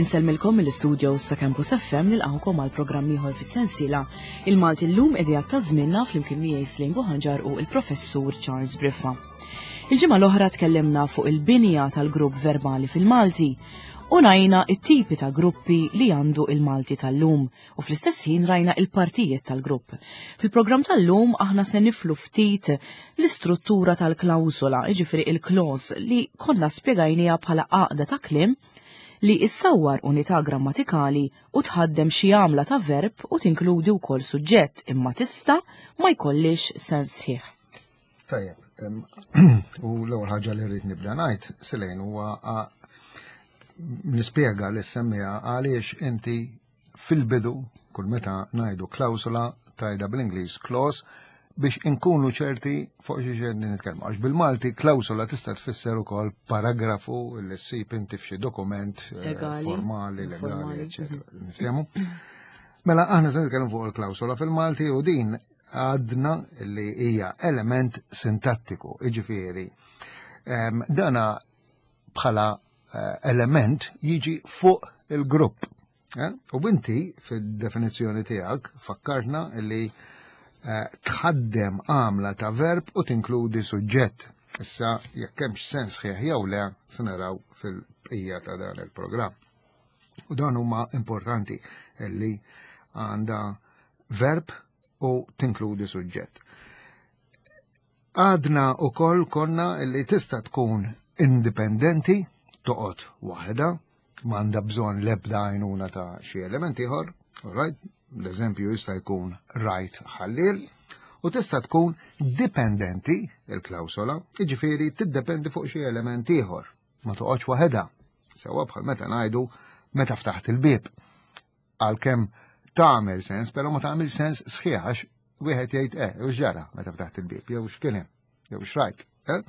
Insellmilkom mill-istudios ta' Campus FM nilqgħukom għal programm ieħor fis-sensiela Il-Malti llum idejat ta' żmienna flimkien miegħi Slim Buħanġar u l-Professur Charles Briffa. Il-ġimgħa l-oħra tkellimna fuq il-binja tal-grupp verbali fil-Malti u rajna it-tipi ta' gruppi li għandu il-Malti tal-lum u fl-istess ħin rajna il-partijiet tal-grupp. Fil-programm tal-lum aħna se niflu ftit l-istruttura tal-klawsola, jiġifieri il-clause li konna spjegajniha bħala għaqda ta' kliem li issawwar unità grammatikali u tħaddem xi għamla ta' verb u tinkludi wkoll suġġett imma tista' ma jkollix sens sħiħ. Tajjeb, u l-ewwel ħaġa li rrid nibda ngħid, Silejn, huwa nispjega li semmija għaliex inti fil-bidu kull meta ngħidu klawsola tajda bl-Ingliż clause biex inkunu ċerti fuq xi xejn nitkellmu. Għax bil-Malti klawsola tista' tfisser ukoll paragrafu li ssib inti f'xi dokument eh, formali, legali, eċetera. Mhm. Nitkellmu. Mela aħna se nitkellmu fuq il-klawsola fil-Malti u din għadna li hija element sintattiku, iġifieri. Ehm, dana bħala eh, element jiġi fuq il-grupp. Eh? U inti fid-definizzjoni tiegħek fakkartna li eh, tħaddem għamla ta' verb u tinkludi suġġett. Issa jekk hemmx sens sħiħ jew le se naraw fil-bqija ta' dan il-programm. U dan huma importanti li għandha verb u tinkludi suġġett. Għadna u koll konna li tista' tkun indipendenti, toqgħod waħda, m'għandha bżonn l-ebda għajnuna ta' xi element ieħor, right? L-eżempju jista' jkun rajt ħallil, u tista' tkun dipendenti il-klawsola, jiġifieri tiddependi fuq xi element ieħor, ma toqgħodx waħedha. Sewwa bħal meta ngħidu meta ftaħt il-bieb. Għalkemm tagħmel sens, però ma tagħmel sens sħiħ għax wieħed jgħid eh, u x'ġara meta ftaħt il-bieb, jew x'kien hemm, jew x'rajt. Eh?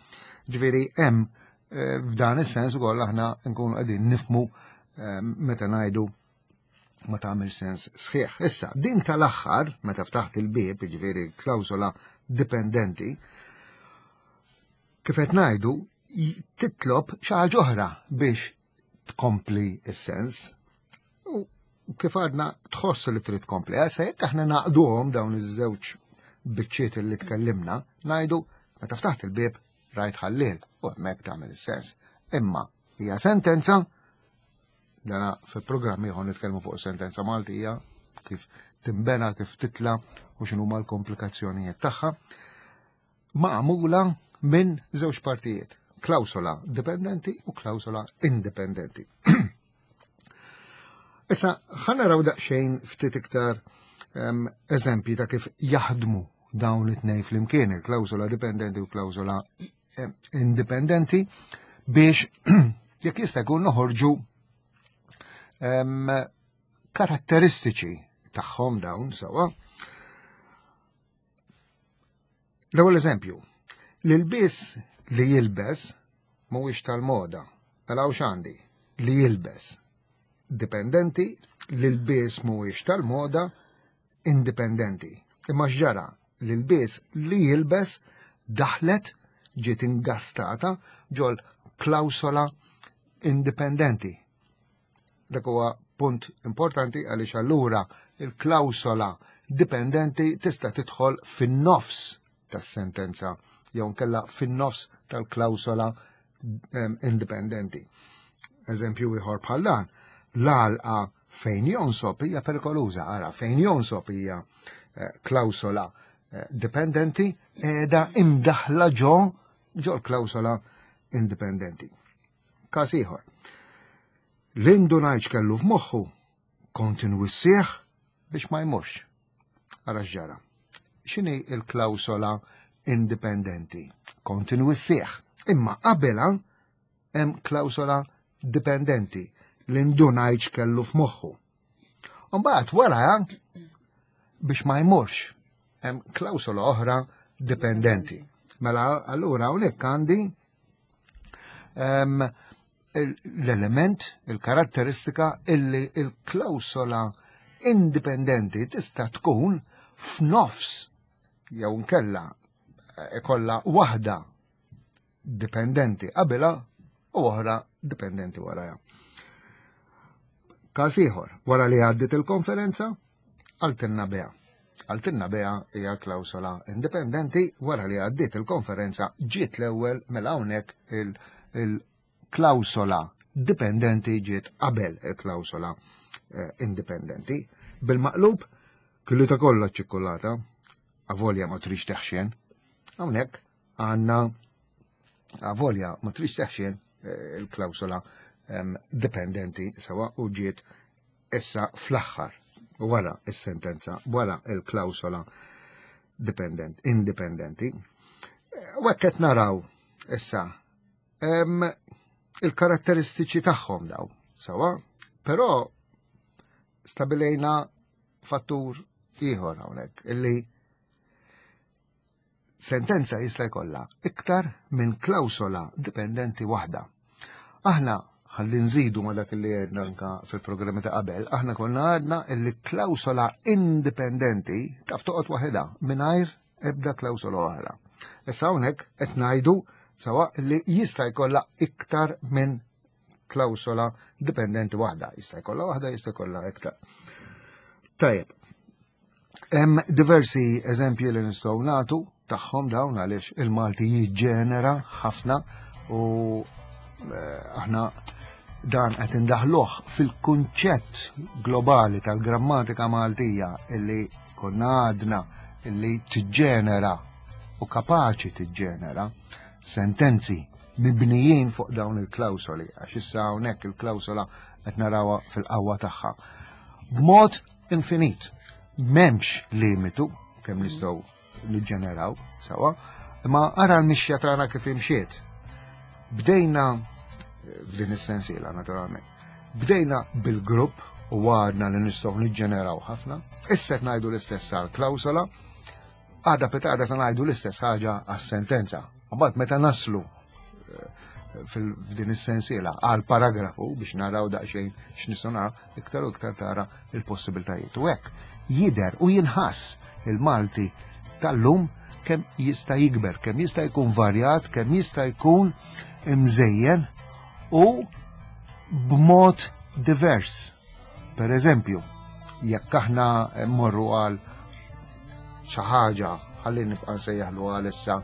Ġifieri hemm eh, f'dan is-sens ukoll aħna nkunu qegħdin nifmu eh, meta ngħidu ma tagħmel sens sħiħ. Issa, din tal-aħħar, meta ftaħt il-bieb, jiġifieri klawsola dipendenti, kif qed ngħidu, titlob xi ħaġa oħra biex tkompli s-sens. U kif għadna tħoss li trid tkompli. Issa jekk aħna naqduhom dawn iż-żewġ biċċiet li tkellimna, ngħidu meta ftaħt il-bieb rajt ħallil u hemmhekk tagħmel is-sens. Imma hija sentenza dana fil-programm ieħor nitkellmu fuq sentenza Maltija kif timbena, kif titla u x'inhuma l-komplikazzjonijiet tagħha magħmula minn żewġ partijiet, klawsola dipendenti u klawsola indipendenti. Issa, ħanaraw daqsxejn ftit iktar um, eżempji ta' kif jaħdmu dawn it-tnej flimkien, il-klawsola dipendenti u klawsola indipendenti, biex jekk jista' jkun noħorġu um, karatteristiċi tagħhom dawn sewwa. L-ewwel eżempju, l-ilbies li jilbes mhuwiex tal-moda. Mela hawn x'għandi? Li jilbes. Dipendenti, l-ilbies mhuwiex tal-moda, indipendenti. Imma x'ġara? L-ilbies li jilbes daħlet ġiet ingastata ġol klawsola indipendenti. Dak huwa punt importanti għaliex allura il-klawsola dipendenti tista' tidħol fin-nofs tas-sentenza jew nkella fin-nofs tal-klawsola ehm, indipendenti. Eżempju ieħor bħal dan, l-għalqa fejn jonsob hija perikoluża, ara fejn jonsob hija eh, klawsola eh, dipendenti qiegħda imdaħla ġo ġo l-klawsola indipendenti. Każ ieħor. L-indunajċ kellu f'moħħu kont inwissih biex ma jmurx. Ara x'ġara. X'inhi l-klawsola indipendenti? Kont inwissih. Imma qabelha hemm klawsola dipendenti li ndunajċ kellu f'moħħu. Mbagħad wara biex ma jmurx hemm klawsola oħra dipendenti. Mela allura hawnhekk għandi l-element, il-karatteristika illi il-klawsola indipendenti tista' tkun f'nofs jew nkella eh, ikolla waħda dipendenti qabilha u oħra dipendenti warajha. Każ ieħor, wara li għaddiet il-konferenza, qaltilna Bea. Qaltilna Bea hija klawsola indipendenti wara li għaddiet il-konferenza ġiet l-ewwel mela hawnhekk il-klawsola dipendenti ġiet qabel il-klawsola eh, indipendenti. Bil-maqlub, kellu ta' kollha ċikkulata, avolja ma trix teħxien. Hawnhekk għandna avolja ma trix teħxien eh, il-klawsola dipendenti sewa u ġiet issa fl-aħħar wara is-sentenza, wara il-klawsola dipendent, indipendenti. U hekk qed naraw issa il-karatteristiċi tagħhom daw, sewa, però stabilejna fattur ieħor hawnhekk illi Sentenza jista' jkollha iktar minn klawsola dipendenti waħda. Aħna ħalli nżidu ma dak li għedna anka fil-programmi ta' qabel, aħna konna għadna li klawsola indipendenti taf toqgħod waħedha mingħajr ebda klawsola oħra. Issa hawnhekk qed ngħidu sawa li jista' jkollha iktar minn klawsola dipendenti waħda, jista' jkollha waħda, jista' jkollha iktar. Tajjeb, Hemm diversi eżempji li nistgħu nagħtu tagħhom dawn għaliex il-Malti jiġġenera ħafna u eh, aħna dan qed indaħluh fil-kunċett globali tal-grammatika Maltija illi konna għadna illi tiġġenera u kapaċi tiġġenera sentenzi mibnijin fuq dawn il-klawsoli għax issa hawnhekk il-klawsola qed narawha fil-qawwa tagħha. B'mod infinit. M'hemmx limitu kemm nistgħu niġġeneraw sewa, imma ara l-mixja tagħna kif imxiet. Bdejna eh, f'din is-sensiela naturalment. Bdejna bil-grupp u għadna li nistgħu niġġeneraw ħafna, issa qed ngħidu l-istess għal klawsola, Għada pitgħada sa ngħidu l-istess ħaġa għas-sentenza. Mbagħad meta naslu eh, f'din is-sensiela għal paragrafu biex naraw daqsxejn x'nistgħu naraw, iktar u iktar tara il-possibiltajiet. U hekk jidher u jinħass il-Malti tal-lum kemm jista' jikber, kemm jista' jkun varjat, kemm jista' jkun imżejjen u b'mod divers. Per eżempju, jekk aħna mmorru għal xi ħaġa ħalli nibqa' nsejjaħlu għal issa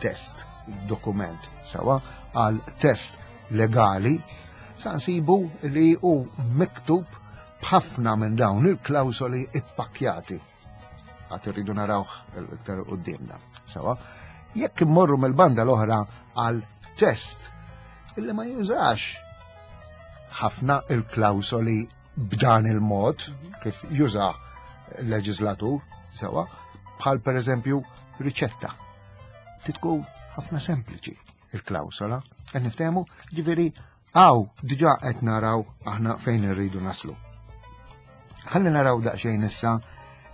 test, dokument, sewa, għal test legali, sa nsibu li hu miktub b'ħafna minn dawn il-klawsoli ippakkjati. Għad irridu narawh iktar qudiemna. Sewa, jekk immorru mill-banda l-oħra għal test illi ma jużax ħafna il-klawsoli b'dan il-mod kif juża l-leġislatur, sewa, bħal per eżempju riċetta. Titkun ħafna sempliċi il-klawsola, qed niftehmu, ġifieri Hawn diġà qed naraw aħna fejn irridu naslu. Ħalli naraw daqsxejn issa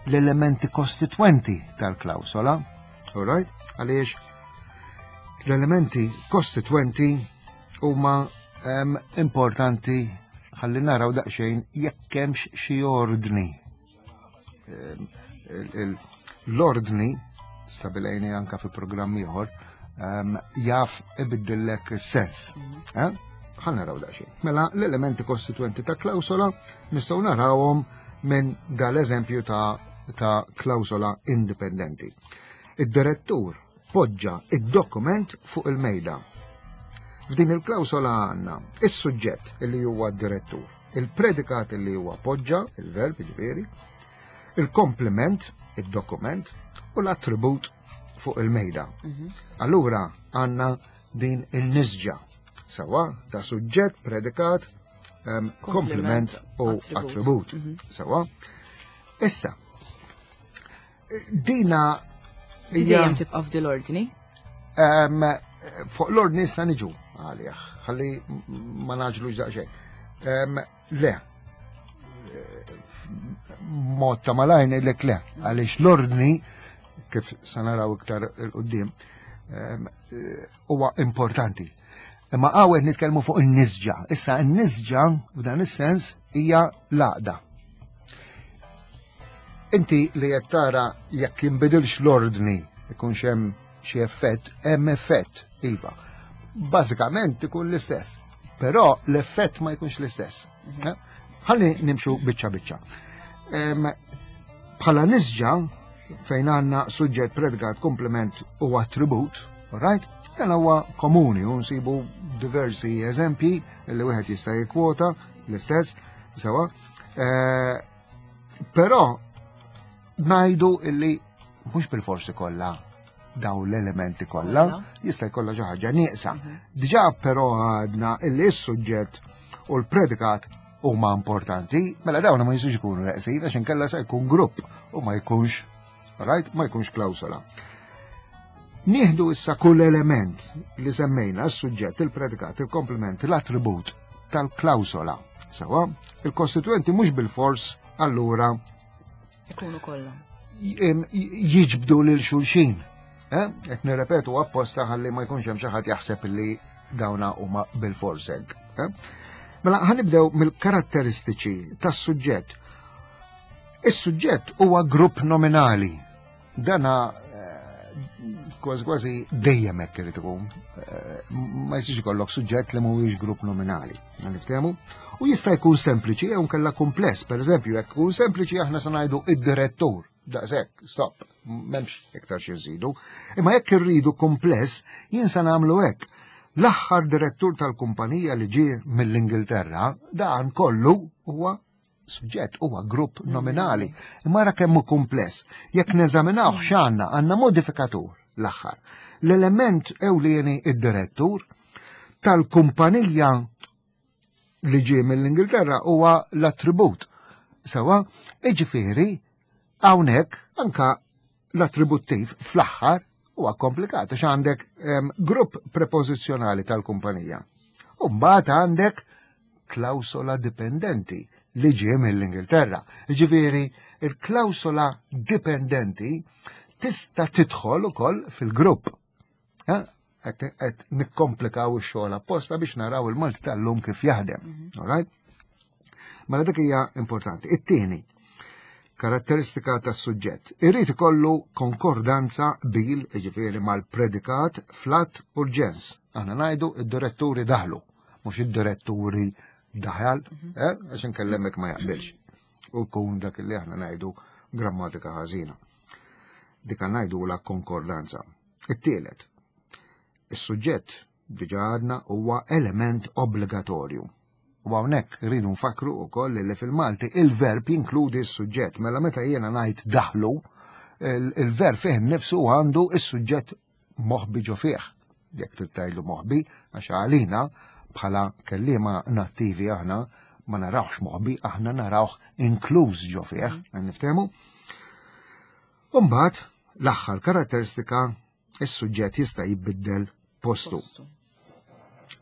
l-elementi kostitwenti tal-klawsola, all right? Għaliex l-elementi kostitwenti huma um, importanti ħalli naraw daqsxejn jekk hemmx xi ordni L-ordni, stabilejni anka fi programm ieħor, ehm, jaf ibiddillek sens. Mhm. Eh? Ħa naraw daqsxejn. Mela l-elementi kostituenti ta' klawsola nistgħu narawhom minn dal-eżempju ta' ta' klawsola indipendenti. Id-direttur poġġa id-dokument fuq il-mejda. F'din il-klawsola għandna is-suġġett li huwa d-direttur, il-predikat li huwa poġġa, il-verb ġifieri, il-komplement, id-dokument, u l-attribut fuq il-mejda. Mhm. Allura għandna din il-nisġa sawa ta' suġġett, predikat, um, komplement u attribut. Mhm. Sawa. Issa, Dina Dejjem tibqa' f'dil ordni? Fuq l-ordni issa niġu għalih, ħalli ma naġlux daqsxejn. Le, mod ta' malajr ngħidlek le, għaliex l-ordni kif sa naraw iktar il-qudiem huwa importanti. Imma hawn nitkellmu fuq in-nisġa. Issa n-nisġa f'dan is-sens hija l-għaqda. Inti li qed tara jekk jinbidilx l-ordni ikunx hemm xi effett, hemm effett, iva. Bażikament ikun l-istess, però l-effett ma jkunx l-istess. Mhm. Eh? Ħalli nimxu biċċa biċċa. Bħala nisġa fejn għandna suġġett predikat komplement u attribut, right? Dan huwa komuni u nsibu diversi eżempji li wieħed jista' jikkwota l-istess sewa. Eh, però ngħidu illi mhux bil-forsi kollha dawn l-elementi kollha, jista' jkollha xi ħaġa nieqsa. Mhm. Diġà però għadna illi s-suġġett u l-predikat huma importanti, mela dawn ma jistgħux ikunu neqsin għax inkella se jkun grupp u ma jkunx right, ma jkunx klawsola. Nieħdu issa kull element li semmejna s-suġġett, il-predikat, il-komplement, l-attribut tal-klawsola. Sewa, il-kostituenti mhux bil-fors allura Ikunu kollha. Jiġbdu lil xulxin. Eh? Qed nirrepetu apposta ħalli ma jkunx hemm xi ħadd jaħseb li dawna huma bil-fors hekk. Eh? Mela ħanibdew mill-karatteristiċi tas-suġġett. Is-suġġett huwa grupp nominali. Dana kważi kważi dejjem hekk irid ikun. Eh, ma jistax ikollok suġġett li mhuwiex grupp nominali. Niftehmu? U jista' jkun sempliċi jew nkella kumpless. Pereżempju, jekk ikun sempliċi aħna se ngħidu id-direttur. Daqshekk, stop, m'hemmx iktar xi nżidu. Imma jekk irridu kumpless, jien se nagħmlu hekk. L-aħħar direttur tal-kumpanija li ġie mill-Ingilterra, dan kollu huwa suġġett huwa grupp nominali. Imma ara kemm hu kumpless. Jekk neżaminaw x'għandna, għandna modifikatur l-aħħar. L-element ewlieni id-direttur tal-kumpanija li ġie mill-Ingilterra huwa l-attribut. Sewa, iġifieri hawnhekk anka l-attributtiv fl-aħħar huwa komplikat għax għandek grupp prepożizzjonali tal-kumpanija. U mbagħad għandek klawsola dipendenti li ġie mill-Ingilterra. Ġifieri, il-klawsola dipendenti tista' tidħol ukoll fil-grupp. Eh? Qed nikkomplikaw ix-xogħol apposta biex naraw il-Malti tal-lum kif jaħdem. Mhm. All right? Mela dik hija importanti. It-tieni, karatteristika tas-suġġett. Irrid ikollu konkordanza bil, jiġifieri mal-predikat flat u l-ġens. Aħna ngħidu id-diretturi daħlu, mhux id-diretturi daħal, mhm. eh, għax inkellemek ma jaqbilx. U jkun dak li aħna ngħidu grammatika ħażina. Dik ngħidu la konkordanza. It-tielet, is-suġġett diġa għadna huwa element obbligatorju. U hawnhekk rridu nfakru wkoll li fil-Malti il-verb jinkludi s-suġġett. Mela meta jiena ngħid daħlu, il-verb fih innifsu għandu s-suġġett moħbi ġo fih. Jekk trid tgħidlu moħbi, għax għalina bħala kelliema nattivi aħna ma narawx moħbi, aħna narawh inkluż ġo fih, mm. niftehmu. Umbagħad l-aħħar karatteristika is-suġġett jista' jibbiddel postu.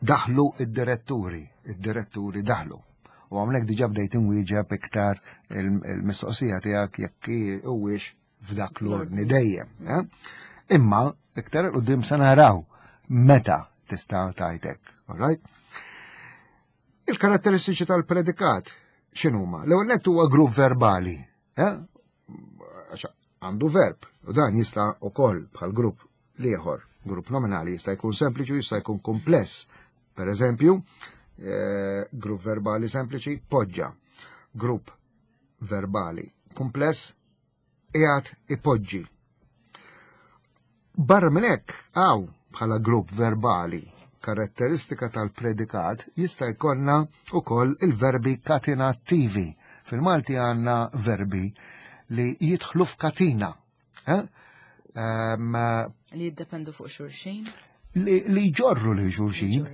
Daħlu id-diretturi, id-diretturi daħlu. U hawnhekk diġà bdejt inwieġeb iktar il-mistoqsija tiegħek jekk huwiex f'dak l-ordni dejjem. Eh? Imma iktar qudiem se naraw meta tista' tajtek, all right? Il-karatteristiċi tal-predikat x'inhuma? L-ewwel nett huwa grupp verbali, eh? Għandu verb, u dan jista' ukoll bħal grupp l-ieħor, grupp nominali jista' jkun sempliċi u jista' jkun kumpless. Per eżempju, eh, grupp verbali sempliċi poġġa, grupp verbali kumpless qiegħed ipoġġi. Barra minn hekk hawn bħala grupp verbali karatteristika tal-predikat jista' jkollna wkoll il-verbi katinattivi. Fil-Malti għandna verbi li jidħlu f'katina. Eh? Um, li jiddependu fuq xulxin? Li, li jġorru li xulxin,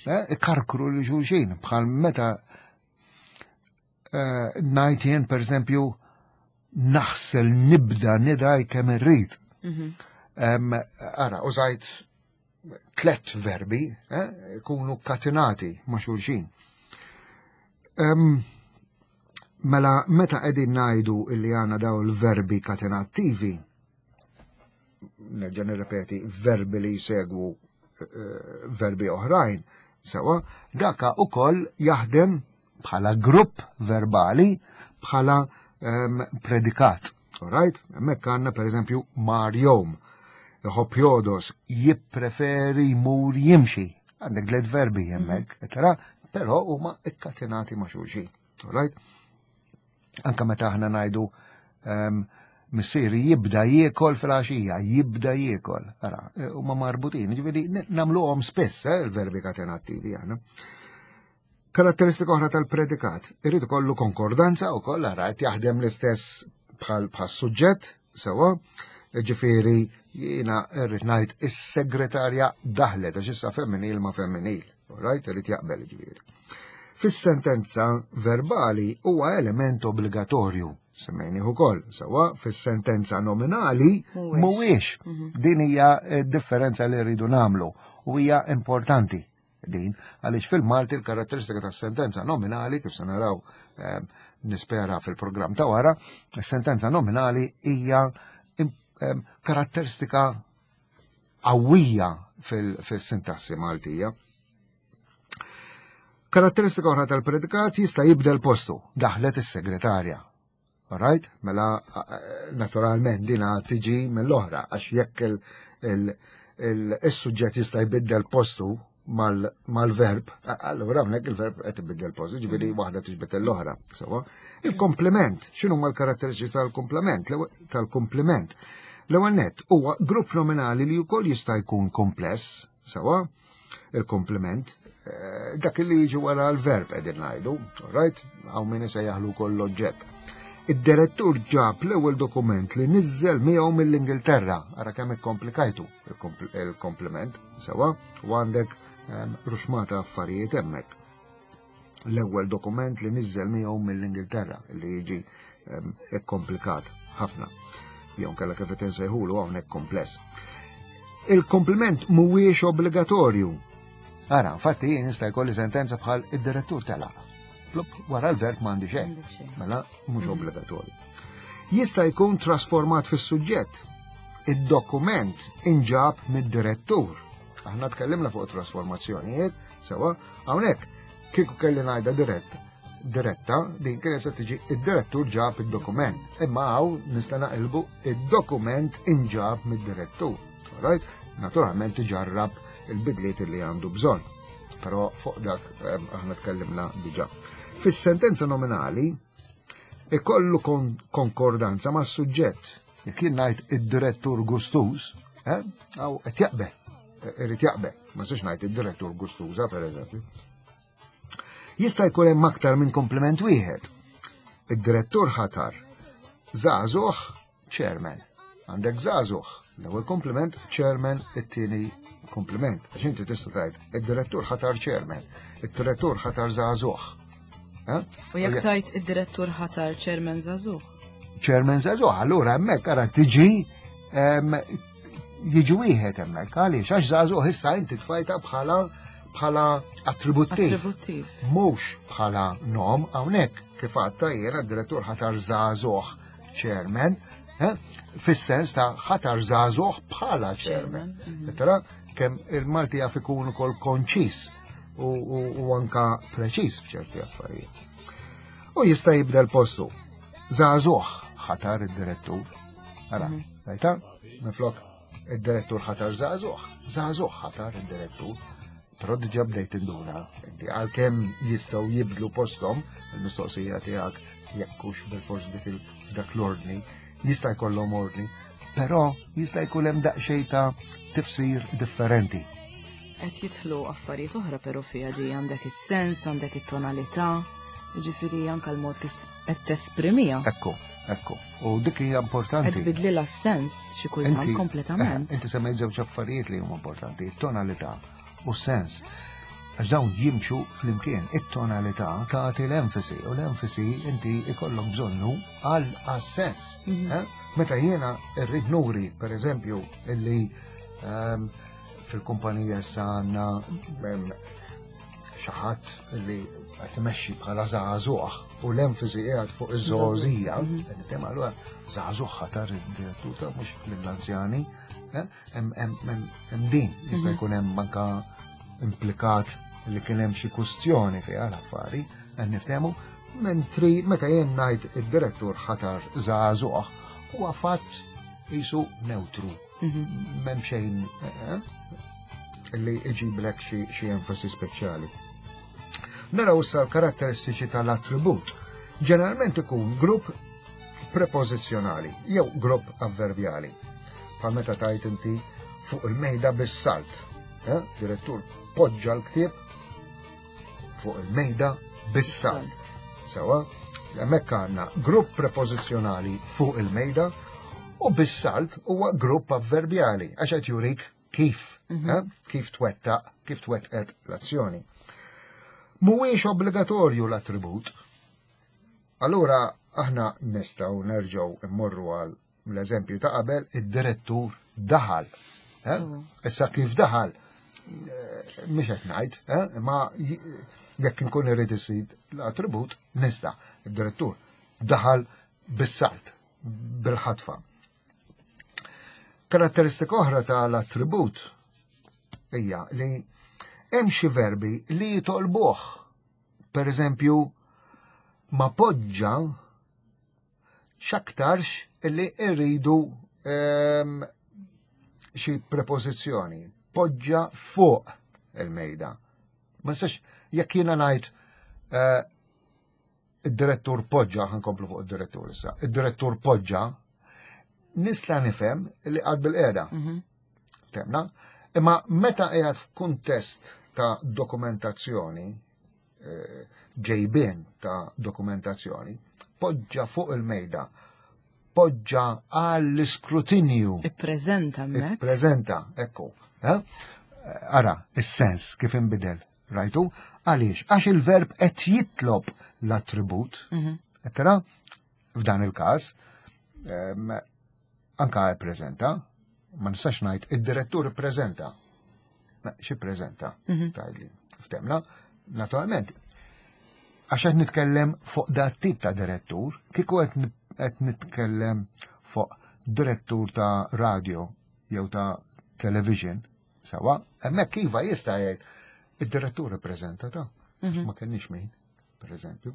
eh? ikarkru li xulxin, bħal meta eh, ngħid jien pereżempju naħsel nibda nidaj kemm irrid. Mhm. Ara, użajt tlet verbi, eh, ikunu katinati ma' xulxin. Mela, meta qegħdin ngħidu illi għandna daw il-verbi katenattivi, nerġa' nirrepeti, verbi li jsegwu eh, verbi oħrajn, sewa, daka ukoll jaħdem bħala grupp verbali, bħala um, predikat. Alright? Hemmhekk għandna pereżempju mar jom. Iħobb jodos, jippreferi jmur jimxi. Għandek tliet verbi hemmhekk, mm. tara, però huma ikkatinati ma' xulxin. Right? Anka meta aħna ngħidu ehm, missieri jibda jiekol fil-għaxija, jibda jiekol. Ara, e, huma marbutin, ġifieri nagħmluhom spiss eh, il-verbi katenattivi aħna. Karatteristika oħra tal-predikat, irid ikollu konkordanza wkoll ara qed jaħdem l-istess bħal suġġett sewwa, ġifieri jiena rrid ngħid is-segretarja daħlet għax issa femminil ma' femminil, right? Irid jaqbel ġifieri. Fis-sentenza verbali huwa element obbligatorju, semmejnih ukoll, sewwa fis-sentenza nominali mhuwiex. Mhm. Din hija differenza li rridu nagħmlu u hija importanti din, għaliex fil-Malti l-karatteristika tas-sentenza nominali, kif se naraw ehm, nispera fil-programm ta' wara, sentenza nominali hija ehm, karatteristika qawwija fil-sintassi Maltija. Karatteristika oħra tal-predikat jista' jibdel postu, daħlet is-segretarja. Alright? Mela, naturalment, dina tiġi mill-oħra, għax jekk il-suġġett jista' jbiddel postu mal-verb, allura hawnhekk il-verb qed ibiddel postu, ġifieri mm. waħda tiġbed l-oħra. Sewa. Il-komplement, x'inhu ma l-karatteristiċi tal-komplement? Tal-komplement. L-ewwel nett huwa grupp nominali li wkoll jista' jkun kompless, sewa, il-komplement, eh, dak li jiġi wara l-verb qegħdin ngħidu, right? Hawn min isejjaħlu wkoll l-oġġett. Id-direttur ġab l-ewwel dokument li niżżel miegħu mill-Ingilterra, ara kemm ikkomplikajtu il-komplement, sewa, u għandek ehm, ruxmata affarijiet hemmhekk. L-ewwel dokument li niżżel miegħu mill-Ingilterra li jiġi ehm, komplikat ħafna. Jew kellha kif qed insejħulu hawnhekk kompless. Il-kompliment mhuwiex obbligatorju. Ara, infatti jien nista' jkolli sentenza bħal id-direttur telaq. Plup, wara l-verb m'għandi xejn. Mela mhux mm. obbligatorju. Jista' jkun trasformat fis-suġġett. Id-dokument inġab mid-direttur. Aħna tkellimna fuq trasformazzjonijiet, Sewa, hawnhekk kieku kelli ngħidha dirett, diretta, din kienet se tiġi id-direttur ġab id-dokument. Imma hawn nista' naqilbu id-dokument inġab mid-direttur. Right? Naturalment iġarrab il-bidliet li għandu bżonn. Però fuq dak eh, aħna tkellimna diġà. Fis-sentenza nominali ikollu konkordanza ma' suġġett. Jekk jien ngħid id-direttur gustuż, eh, għaw qed jaqbel Irrid jaqbel, ma nistax ngħid id-direttur gustuża pereżempju. Jista' jkun hemm aktar minn kompliment wieħed. Id-direttur ħatar żagħżugħ chairman. Għandek żagħżugħ, l-ewwel kompliment chairman, it-tieni kompliment. Għax inti tista' tgħid id-direttur ħatar chairman, id-direttur ħatar żagħżugħ. Eh? U jekk tgħid id-direttur ħatar chairman żagħżugħ? Chairman żagħżugħ, allura hemmhekk ara tiġi jiġi wieħed hemmhekk għaliex għax żagħżugħ issa inti tfajta bħala bħala attributtiv. Attributtiv. Mhux bħala nom hawnhekk kif għadta jiena d-direttur ħatar żagħżugħ chairman, eh, fis-sens ta' ħatar żagħżugħ bħala chairman. Mhm. Tara kemm il-Malti jaf ikun ukoll konċis u anka preċiż f'ċerti affarijiet. U jista' jibdel postu. Żagħżugħ ħatar id-direttur. Ara, mhm. rajta? Minflok id-direttur ħatar żagħżugħ, żagħżugħ ħatar id-direttur. Però diġà bdejt induna, inti għalkemm jistgħu jibdlu posthom il-mistoqsija tiegħek jekk hux bil-fors dik dak l-ordni, jista' jkollhom ordni, però jista' jkun hemm daqsxejn ta' tifsir differenti. Qed jidħlu affarijiet oħra però fiha di għandek is-sens, għandek it-tonalità, jiġifieri anke l-mod kif qed tesprimiha. Ekku, ekku. U dik hija importanti. Qed tbidlilha s-sens xi kultant kompletament. Eh, inti semmejt żewġ affarijiet li huma importanti, it-tonalità u s-sens. Għax dawn jimxu flimkien. It-tonalità tagħti l-enfasi u l-enfasi inti ikollok bżonnu għal sens. Mhm. Eh? Meta jiena rrid nuri, per eżempju, illi ehm, fil-kumpanija issa għandna xi ħadd li qed imexxi bħala żagħżugħ u l-enfasi qiegħed fuq iż-żgħożija, mhm. qed nitkellem allura żagħżugħ ħatar id-direttur ta' mhux lill-anzjani, eh, hemm din jista' mhm. jkun hemm anka implikat li kien hemm xi kustjoni fiha l-affari, qed niftehmu, mentri meta jien ngħid id-direttur ħatar żagħżugħ huwa fatt jisu neutru. M'hemm xejn eh, eh, li iġiblek xi enfasi speċjali. Naraw issa l-karatteristiċi tal-attribut. Ġeneralment ikun grupp prepożizzjonali jew grupp avverbjali. Bħal meta tajt inti fuq il-mejda bis-salt. Eh? Direttur poġġa l-ktieb fuq il-mejda bis-salt. Sewa, hemmhekk għandna grupp prepożizzjonali fuq il-mejda u bis-salt huwa grupp avverbjali għax qed jurik kif, mm -hmm. kif twettaq, kif twettqet l-azzjoni. Mhuwiex obbligatorju l-attribut. Allura aħna nistgħu nerġgħu immorru għal l-eżempju ta' qabel id-direttur daħal. Eh? Issa kif daħal, eh, mhux qed ngħid, eh, ma jekk inkun irid isir l-attribut nista' id-direttur daħal bis-salt, bil-ħatfa. Karatteristika oħra tal-attribut hija li hemm xi verbi li jitolbuh. Per eżempju, ma poġġa x'aktarx li rridu ehm, xi prepożizzjoni. Poġġa fuq il-mejda. Ma nistax jekk jiena ngħid eh, id-direttur poġġa, ħankomplu fuq id-direttur issa, id-direttur poġġa, nista' nifhem li qgħad bil-qiegħda. Mhm. Temna, imma meta qiegħed f'kuntest ta' dokumentazzjoni, eh, ġejbien ta' dokumentazzjoni, poġġa fuq il-mejda, poġġa għall-iskrutinju. Ippreżenta hemmhekk. Ippreżenta, ekku. Eh? Ara, is-sens kif inbidel, rajtu? Għaliex? Għax il-verb qed jitlob l-attribut. Mhm. Qed tara? F'dan il-każ, anka ippreżenta, ma nistax ngħid id-direttur ippreżenta. Xi ppreżenta? Mhm. Tgħidli. Ftemna, naturalment, għax qed nitkellem fuq dat tip ta' direttur, kieku qed nitkellem fuq direttur ta' radio jew ta' television, sawa, hemmhekk iva jista' jgħid id-direttur ippreżenta ta' mhm. ma kenniex min, per eżempju.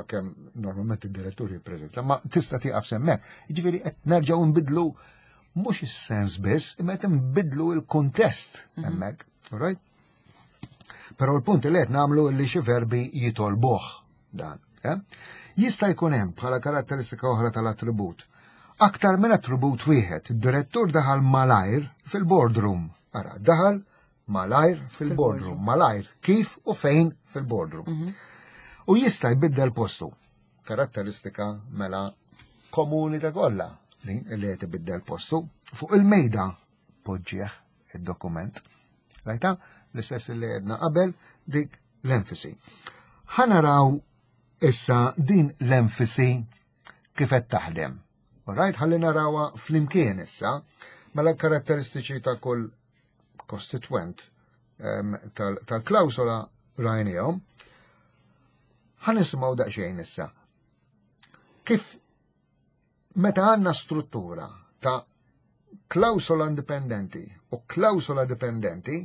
Kemm normalment id-direttur jippreżenta, ma tista' tieqaf semmek. Jiġifieri qed nerġgħu nbidlu mhux is-sens biss, imma qed nbidlu l-kuntest mhm. hemmhekk, right? Però l-punt li qed nagħmlu li xi verbi jitolbuh dan. Eh? Jista' jkun hemm bħala karatteristika oħra tal-attribut. Aktar minn attribut wieħed, id-direttur daħal malajr fil-boardroom. Ara, daħal malajr fil-boardroom, malajr kif u fejn fil-boardroom. Mhm. U jista' jbiddel postu. Karatteristika mela komuni ta' kollha li qed ibiddel postu fuq il-mejda poġġieħ id-dokument. Rajta? L-istess li għedna qabel dik l-enfisi. Ħanaraw issa din l-enfisi kif qed taħdem. Alright, ħalli narawha flimkien issa, mela karatteristiċi ta' kull kostitwent tal-klawsola rajnihom. Ħa nisimgħu daqsxejn issa. Kif meta għandna struttura ta' klawsola indipendenti u klawsola dipendenti,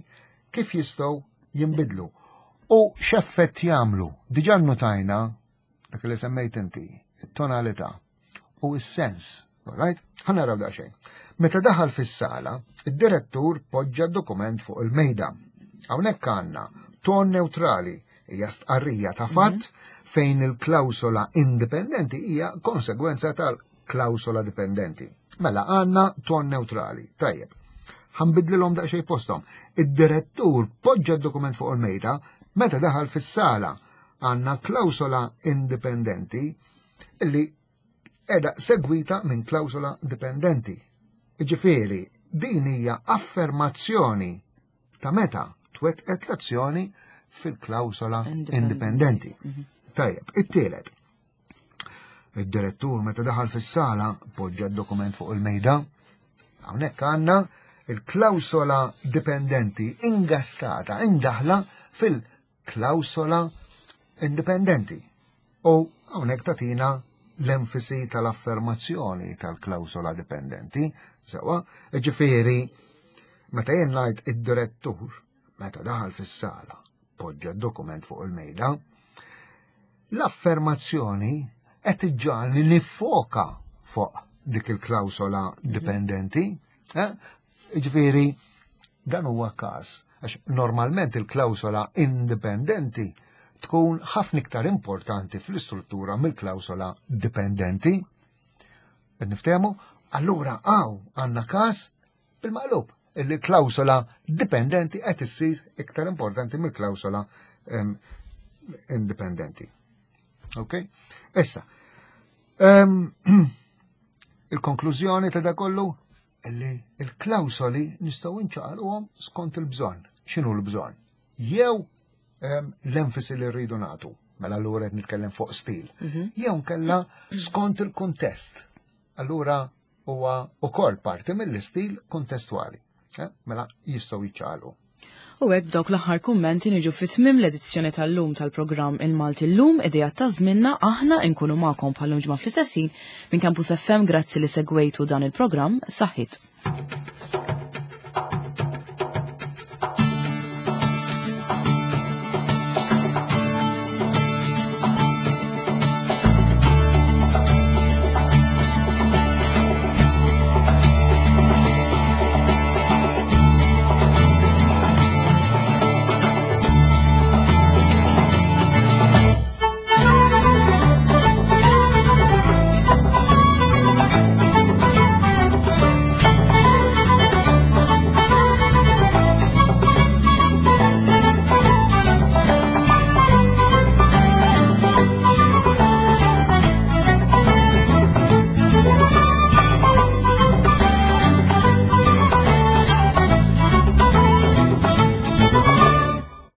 kif jistgħu jinbidlu u x'effett jagħmlu. Diġà notajna dak li semmejt inti, it-tonalità u s-sens. Alright? Ħa naraw daqsxejn. Meta daħal fis-sala, id-direttur poġġa dokument fuq il-mejda. Hawnhekk għandna ton neutrali hija stqarrija ta' fatt mhm. fejn il-klawsola indipendenti hija konsegwenza tal-klawsola dipendenti. Mela għandna ton neutrali. Tajjeb. Ħanbidlilhom daqsxejn posthom. Id-direttur poġġa d-dokument fuq il-mejda meta daħal fis-sala għandna klawsola indipendenti li edha segwita minn klawsola dipendenti. Ġifieri, din hija affermazzjoni ta' meta twettqet l-azzjoni fil-klawsola indipendenti. Mhm. Tajjeb, it-tielet. Id-direttur meta daħal fis-sala poġġa d-dokument fuq il-mejda. Hawnhekk għandna il-klawsola dipendenti ingastata, indaħla fil-klawsola indipendenti. U hawnhekk tatina l-enfisi tal-affermazzjoni tal-klawsola dipendenti, sewa, ġifieri meta jien ngħid id-direttur meta daħal fis-sala poġġa d-dokument fuq il-mejda, l-affermazzjoni qed iġġagħalni nifoka fuq dik il-klawsola dipendenti. Eh? Ġifieri, dan huwa każ għax normalment il-klawsola indipendenti. tkun ħafna iktar importanti fl-istruttura mill-klawsola dipendenti. Qed niftehmu? Allura hawn għandna każ bil-maqlub illi klawsola dipendenti qed issir iktar importanti mill-klawsola indipendenti. Ok? Issa, il-konklużjoni ta' da kollu illi il-klawsoli nistgħu nċaqalquhom skont il-bżonn. X'inhu l-bżonn? Jew l-enfasi li rridu nagħtu, mela allura qed nitkellem fuq stil. Jew nkella skont il-kuntest. Allura huwa ukoll parti mill-istil kuntestwali. Eh, mela jistgħu jiċċaqalqu. U hekk b'dawk l-aħħar kummenti niġu fi tmiem l-edizzjoni tal-lum tal-programm Il-Malti Llum idea ta' żminna aħna nkunu magħkom bħal ġimgħa fl-istess ħin minn Campus FM grazzi li segwejtu dan il-programm saħħit.